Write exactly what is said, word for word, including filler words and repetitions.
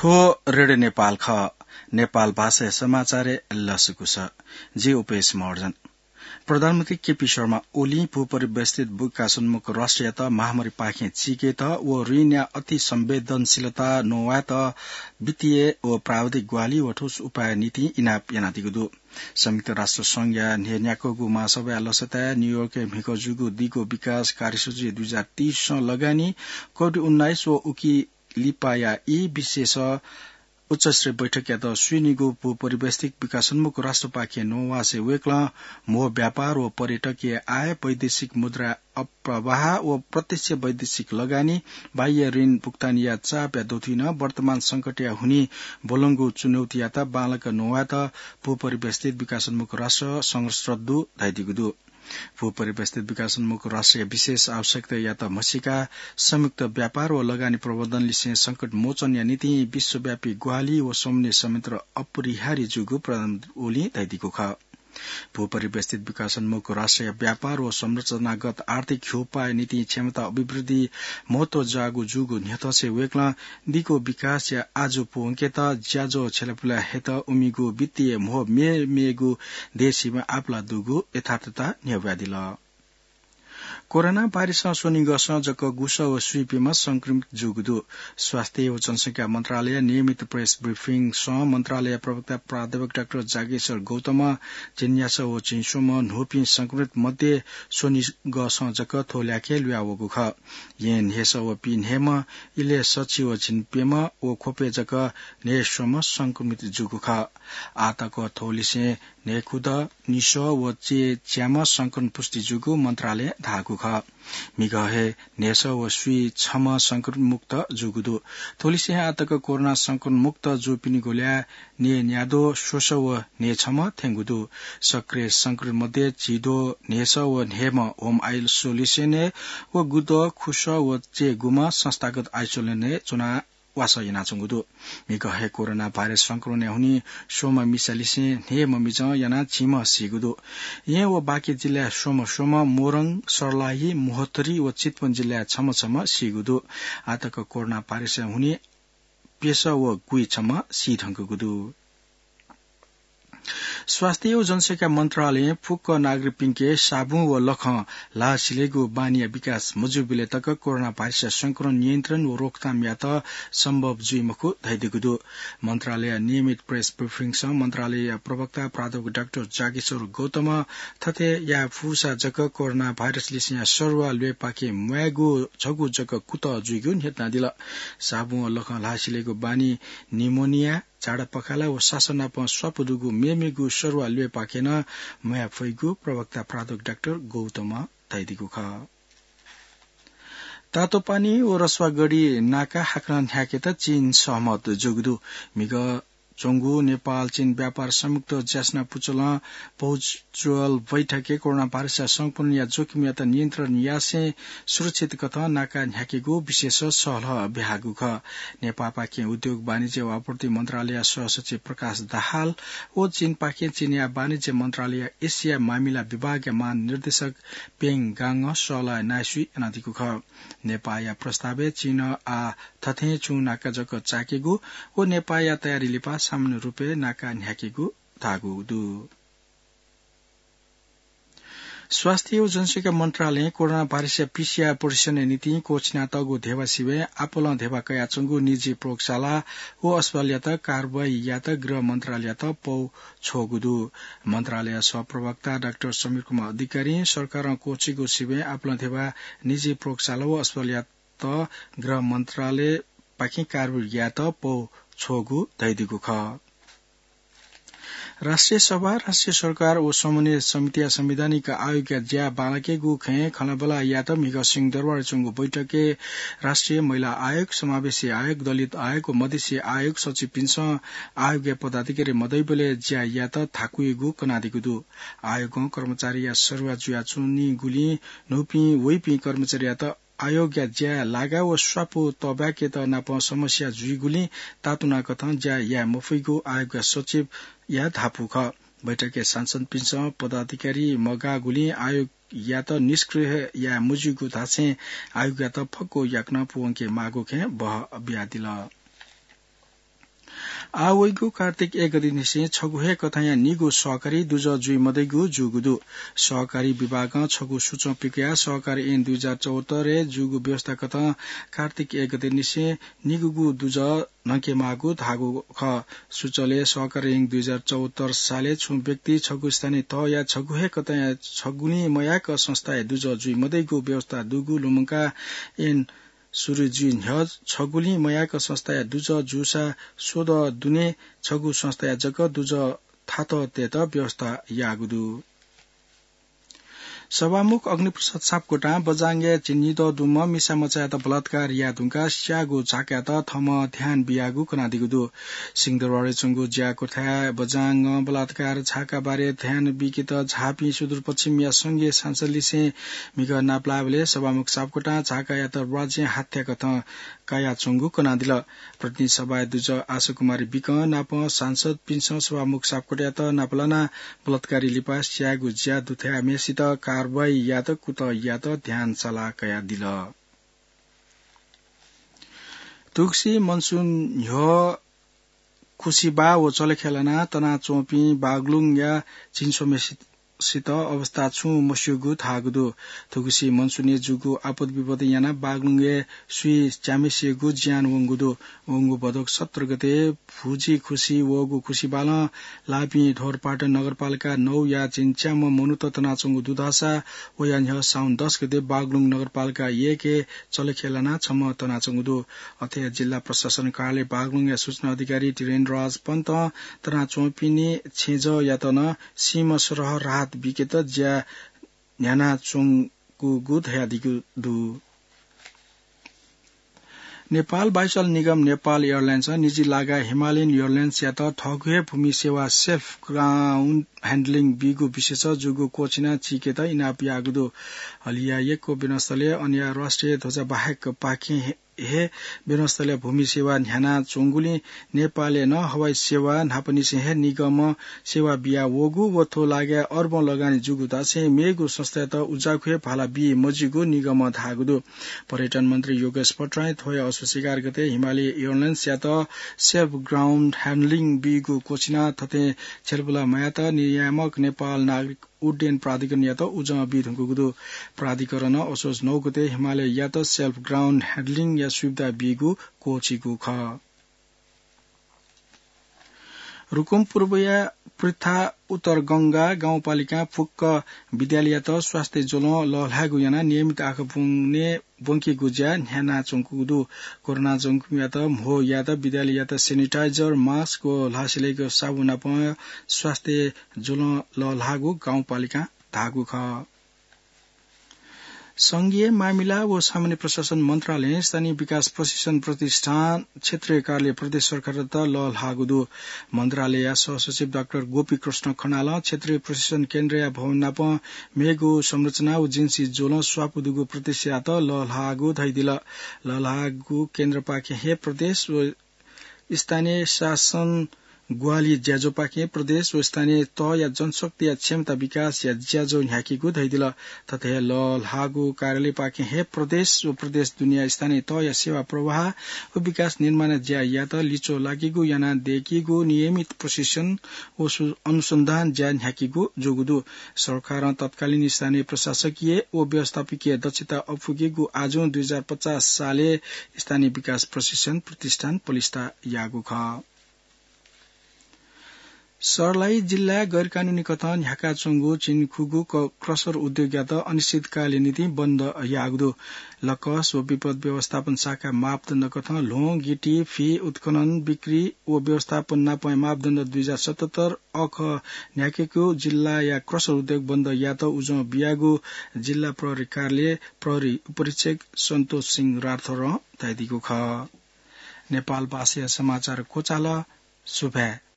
थ्व रेडियो नेपाल खः। नेपाल भाषाया समाचारय् लसकुस। जि उपेश महर्जन। प्रधानमन्त्री केपी शर्मा ओलीं भूपरिवेष्ठित विकासोन्मुख राष्ट्रयात महामारीपाखें चीकेत व ऋणया अति संवेदनशीलता नवायेत वित्तीय व प्राविधिक ग्वाहालि व ठोस उपाय निंतिं इनाप यानादीगु दु। संयुक्त राष्ट्र संघया न्ह्यः न्याक्वःगु महासभाया लसताय् न्यूयोर्कय् म्हिगः जूगु दीगो विकास कार्यसूची दुई हजार तीस लगानी कोभिड उन्नाइस व उकी लिपाया ई विशेष उच्चस्तरीय बैठकयात स्वीनिगू भूपरिवेष्ठित विकासोन्मुख राष्ट्रपाखें नवासें वय्कलं म्हो व्यापार व पर्यटकीय आय, वैदेशिक मुद्रा अप्रवाह व प्रत्यक्ष वैदेशिक लगानी, बाह्य ऋण भुक्तानीया चापया दथुइ नं वर्तमान संकटया हुनिं ब्वलंगु चुनौतीयात बांलाक नवायेत भूपरिवेष्ठित विकासोन्मुख राष्ट्र संघर्षरत दु धयादीगु दु। भूपरिवेष्ठित विकासोन्मुख राष्ट्रया विशेष आवश्यकतायात म्हसीका संयुक्त व्यापार व लगानी प्रवर्धनलिसें संकट मोचनया निंतिं विश्वव्यापी ग्वाहालि व समन्वय संयन्त्र अपरिहार्य जूगु प्रधानमन्त्री ओलीं धयादीगु खः। भूपरिवेष्ठित विकासोन्मुख राष्ट्रया व्यापार व संरचनागत आर्थिक ह्यूपाःया निंतिं क्षमता अभिवृद्धि महत्व जाःगु जूगु न्ह्यथंसें वय्कलं दीगु विकासया आजु पूवंकेत ज्याझ्वः छ्यलापुला हयेत उमिगु वित्तीय म्हो मेमेगु देशय् आपाला दुगु यथार्थता न्ह्यब्वयादिल। कोरोना भाइरसं स्वनिगःसं जक गुसः व स्वीपिंम्ह संक्रमित जूगु दु। स्वास्थ्य व जनसंख्या मन्त्रालयया नियमित प्रेस ब्रिफिङसं मन्त्रालय प्रवक्ता प्राध्यापक डाक्टर जागेश्वर गौतमं झिंन्यासः व झिंस्वम्ह न्हूपिं संक्रमित मध्ये स्वनिगःसं जक थ्व ल्याखय् लुयावःगु खः। यें न्हय्सः व पीन्हय्म्ह, इलय् सछि व झिंप्यम्ह व ख्वपय् जक न्हय्स्वम्ह संक्रमित जूगु खः। आःतक थ्व लिसें न्हय्खुदँ निसः व चय्च्याम्ह संक्रमण पुष्टि जूगु मन्त्रालयं धाःगु खः। म्हिगः हे न्हय्सः व स्वीछम्ह संक्रमित मुक्त जूगु दु। थ्व लिसें आःतक कोरोना संक्रमण मुक्त जूपिनिगु ल्याः न्यय्न्याद्वः स्वसः व न्हय्छम्ह थ्यंगु दु। सक्रिय संक्रमित मध्ये झिद्वः न्हय्सः व न्हय्म्ह होम आइसोलेसनय् व गुद्वः खुसः व चय्गुम्ह संस्थागत आइसोलेसनय् च्वनाः वासः यानाच्वंगु दु। म्हिगः हे कोरोना भाइरस संक्रमणया हुनिं स्वम्ह मिसालिसें न्हय्म्ह मिजं यानाः झिम्ह सीगु दु। येँ व बाँके जिल्लाय् स्वम्ह स्वम्ह, मोरङ, सर्लाही, महोत्तरी व चितवन जिल्लाय् छम्ह छम्ह सीगु दु। आःतक कोरोना भाइरसया हुनिं प्यसः व गुइछम्ह सी धुंकूगु दु। स्वास्थ्य व जनसंख्या मन्त्रालयं फुक्क नागरिकपिन्के साबुन व लखं ल्हाः सिलेगु बानीया विकास मजूबलय् तक कोरोना भाइरसया संक्रमण नियन्त्रण व रोकथामयात सम्भव जुइ मखु धयादीगु दु। मन्त्रालयया नियमित प्रेस ब्रिफिङसं मन्त्रालयया प्रवक्ता प्राध्यापक डाक्टर जागेश्वर गौतमं थथे याये फुसा जक कोरोना भाइरस लिसेंया सरुवा ल्वय्पाखे म्वायेगु छगू जक कुतः जुइगु न्ह्यथनादिल। साबुन व लखं ल्हाः सिलेगु बानी निमोनिया, झाडा पखाला व सासः नाप स्वापु दुगु मेमेगु सरुवा ल्वय्पाखे नं म्वाये फइगु प्रवक्ता प्राध्यापक डाक्टर गौतमं धयादीगु खः। तातोपानी व रसुवागढी नाका हाकनं न्ह्याकेत चीन सहमत जूगु दु। म्हिगः च्वंगु नेपाल चीन व्यापार संयुक्त ज्यासना पुचलं भर्चुअल बैठकय् कोरोना भाइरसया संक्रमणया जोखिमयात नियन्त्रण यासें सुरक्षित कथं नाका न्ह्याकेगु विशेष सहलह ब्याहाःगु खः। नेपाःपाखें उद्योग वाणिज्य व आपूर्ति मन्त्रालयया सहसचिव प्रकाश दाहाल व चीनपाखें चीनया वाणिज्य मन्त्रालयया एसिया मामिला विभागया महानिर्देशक पेङ गाङं सहलह यानाः स्वीया यानादीगु खः। नेपाःया प्रस्तावय् चीनं आः थथें छुं नाका जक चाय्केगु व नेपाःया तयारी लिपा सामान्य रूपय् नाका न्ह्याकेगु धाःगु दु। स्वास्थ्य व जनसंख्या मन्त्रालयं कोरोना भाइरसया पीसीआर परीक्षणया निंतिं क्वःछिनातःगु धेबा सिबें आपालं धेबा कयाच्वंगु निजी प्रयोगशाला व अस्पतालयात कारवाही यायेत गृह मन्त्रालययात पौ छ्वःगु दु। मन्त्रालयया सहप्रवक्ता डाक्टर समीर कुमार अधिकारीं सरकारं क्वःछिगु सिबें आपालं धेबा निजी प्रयोगशाला व अस्पतालयात गृह मन्त्रालयपाखें कारवाही यायेत पौ छ्वःगु धयादीगु खः। राष्ट्रिय सभा, राष्ट्रिय सरकार व समन्वय समितिया संवैधानिक आयोगया ज्या बांलाकेगु खँय् खँल्हाबल्हा यायेत म्हिगः सिंहदरबारय् च्वंगु बैठकय् राष्ट्रिय महिला आयोग, समावेशी आयोग, दलित आयोग व मधेसी आयोग सचिवपिन्सं आयोगया पदाधिकारी मदइबलय् ज्या यायेत थाकुइगु कनादीगु दु। आयोगं कर्मचारीया सरुवा जुयाच्वनीगुलिं न्हूपिं वइपिं कर्मचारीयात आयोगया ज्याय् लागा व स्वापू तःबाय्केत नापं समस्या जुइगुलिं तातुनाकथं ज्या याये मफइगु आयोगया सचिवया धापू खः। बैठकय् सांसदपिन्सं पदाधिकारी मगाःगुलिं आयोगयात निष्क्रिय हे याये मज्यूगु धासें आयोगयात फक्व याकनं पूवंके माःगु खँय् बहः बियादिल। आः वइगु कार्तिक एक गते निसें छगू हे कथंया निगू सहकारी दुजः जुइ मदइगु जूगु दु। सहकारी विभागं छगू सूचं पिकयाः सहकारी ऐन दुई हजार चौहत्तरय् जूगु व्यवस्था कथं कार्तिक एक गते निसें निगूगु दुजः न्हंकेमाःगु धाःगु खः। सूचलय् सहकारी ऐन दुई हजार चौहत्तर सालय् छुं व्यक्ति छगू स्थानीय तहया छगू हे कथंया छगुलिं मयाक संस्थाया दुजः जुइ मदइगु व्यवस्था दुगु लुमंकाः ऐन सुरु जुइ न्ह्यः छगुलिं मयाक संस्थाया दुजः जूसा स्वदँ दुने छगू संस्थाया जक दुजः थातः तयेत व्यवस्था याःगु दु। सभामुख अग्निप्रसाद सापकोटां बझाङय् झिंनिदँ दुम्ह मिसामचायात बलात्कार याये धुंकाः स्याःगु झाकायात थःम्हं ध्यान बियागु कनादीगु दु। सिंहदरबारय् च्वंगु ज्याकुथाय् बझाङं बलात्कार झाका बारे ध्यान बीकेत झापां सुदूरपश्चिमया संघीय संसदलिसें म्हिगः नापलाःबलय् सभामुख सापकोटां झाकायात राज्यं हत्याकथं कयाच्वंगु कनादिल। प्रतिनिधि सभाय् दुजः आशा कुमारी बिकं नाप सांसदपिन्सं सभामुख सापकोटायात नापलानाः बलात्कारी लिपा स्यायेगु ज्या दुथ्याःम्हय्सित कारवाही यायेत कुतः यायेत ध्यान सल्लाह कयादिल। थुगुसी मनसुन न्ह्यः खुसिबाः व चलेखय् लानाः तनाच्वंपिं बागलुङया झिंस्वम्हय्सित सित अवस्था छुं मस्यूगु धाःगु दु। थुगुसी मनसुनय् जूगु आपत विपत यानाः बागलुङय् स्वीच्याम्हय्सिगु ज्यान वंगु दु। वंगु भदौ सत्र गते भुजि खुसि वःगु खुसिबालं लाःपिं ढोरपाटन नगरपालिका नौया झिंच्याम्ह मनूत तनाच्वंगु दु धाःसा वया न्ह्यः साउन दस गते बागलुङ नगरपालिका एकय् चलेखय् लानाः छम्ह तनाच्वंगु दु। अथे हे जिल्ला प्रशासन कार्यालय बागलुङया सूचना अधिकारी धीरेन्द्रराज पन्तं तनाच्वंपिनि छेँजःयात नं सीमा सरह राहत बीकेत ज्या न्ह्यानाच्वंगु धयादीगु दु। नेपाल वायुसेवा निगम नेपाल एयरलाइन्सं निजी लागा हिमालयन एयरलाइन्सयात थःगु हे भूमि सेवा, सेल्फ ग्राउन्ड ह्यान्डलिङ, बीगु विषयय् जूगु क्वःछिना चीकेत इनाप याःगु दु। हलिया यक्व विमानस्थलय् अनया राष्ट्रिय ध्वजा बाहेक पाखें हे हे विमानस्थलय् भूमि सेवा न्ह्यानाच्वंगुलिं नेपालय् नं हवाई सेवा न्हापांनिसें हे निगमं सेवा बिया वःगु व थ्व लागाय् अर्बं लगानी जूगु धासें मेगु संस्थायात उज्याःगु हे भाला बी मज्यूगु निगमं धाःगु दु। पर्यटन मन्त्री योगेश भट्टराईं थ्वया असोज एघार गते हिमालय एयरलाइन्सयात सेल्फ ग्राउन्ड ह्यान्डलिङ बीगु क्वःछिना थथे छ्यलबुला मयात नियामक नेपाल नागरिक उड्डयन प्राधिकरणयात उजं बी धुंकूगु दु। प्राधिकरणं असोज नौ गते हिमालययात सेल्फ ग्राउन्ड ह्यान्डलिङया सुविधा बीगु क्वःछिकू खः। रुकुम पूर्वया पृथा उत्तर गंगा गाउँपालिकां फुक्क विद्यालययात स्वास्थ्य ज्वलं लःल्हायेगु यानाः नियमित आँखा ब्वने ब्वंकेगु ज्या न्ह्यानाच्वंगु दु। कोरोना जंगुयात म्हो यायेत विद्यालययात सेनिटाइजर, मास्क व ल्हासेलय्क साबुन नाप स्वास्थ्य ज्वलं लःल्हाःगु गाउँपालिकां धाःगु खः। संघीय मामिला व सामान्य प्रशासन मन्त्रालयं स्थानीय विकास प्रशिक्षण प्रतिष्ठान क्षेत्रीय कार्यालय प्रदेश सरकारयात लःल्हाःगु दु। मन्त्रालयया सहसचिव डाक्टर गोपीकृष्ण खनालं क्षेत्रीय प्रशिक्षण केन्द्रया भवन नाप मेगु संरचना व जिन्सी ज्वलं स्वापू दुगु प्रतिष्ठानयात लःल्हाःगु धयादिल। लःल्हाःगु केन्द्रपाखें हे प्रदेश व स्थानीय शासन ग्वाहालि ज्याझ्वःपाखें प्रदेश व स्थानीय तहया जनशक्तिया क्षमता विकासया ज्याझ्वः न्ह्याकीगु धयादिल। थथे हे लःल्हाःगु कार्यालयपाखें हे प्रदेश व प्रदेश दुनेया स्थानीय तहया सेवा प्रवाह व विकास निर्माणया ज्यायात लिच्वः लाकीगु याना दयेकीगु नियमित प्रशिक्षण व सु-, अनुसन्धान ज्या न्ह्याकीगु जूगु दु। सरकारं तत्कालीन स्थानीय प्रशासकीय व व्यवस्थापकीय दक्षता अप्वुकेगु आजुं दुई हजार पचास सालय् स्थानीय विकास प्रशिक्षण प्रतिष्ठान पलिस्था याःगु खः। सर्लाही जिल्लाय् गैरकानूनी कथं न्ह्याकाच्वंगु झिंखुगू क-, क्रसर उद्योगयात अनिश्चितकालया निंतिं बन्द याःगु दु। लकस व विपद व्यवस्थापन शाखा मापदण्ड कथं ल्ह्वं, गिटी, फि, उत्खनन, बिक्री व व्यवस्थापन नापं मापदण्ड दुई हजार सतहत्तर अख न्ह्याकेगु जिल्लाया क्रसर उद्योग बन्द यायेत उजं बियागु जिल्ला प्रहरी कार्यालय प्रहरी उपरीक्षक सन्तोष सिंह राठौरं धयादीगु खः। नेपाल भाषाया समाचार क्वचाल। सुभाय्।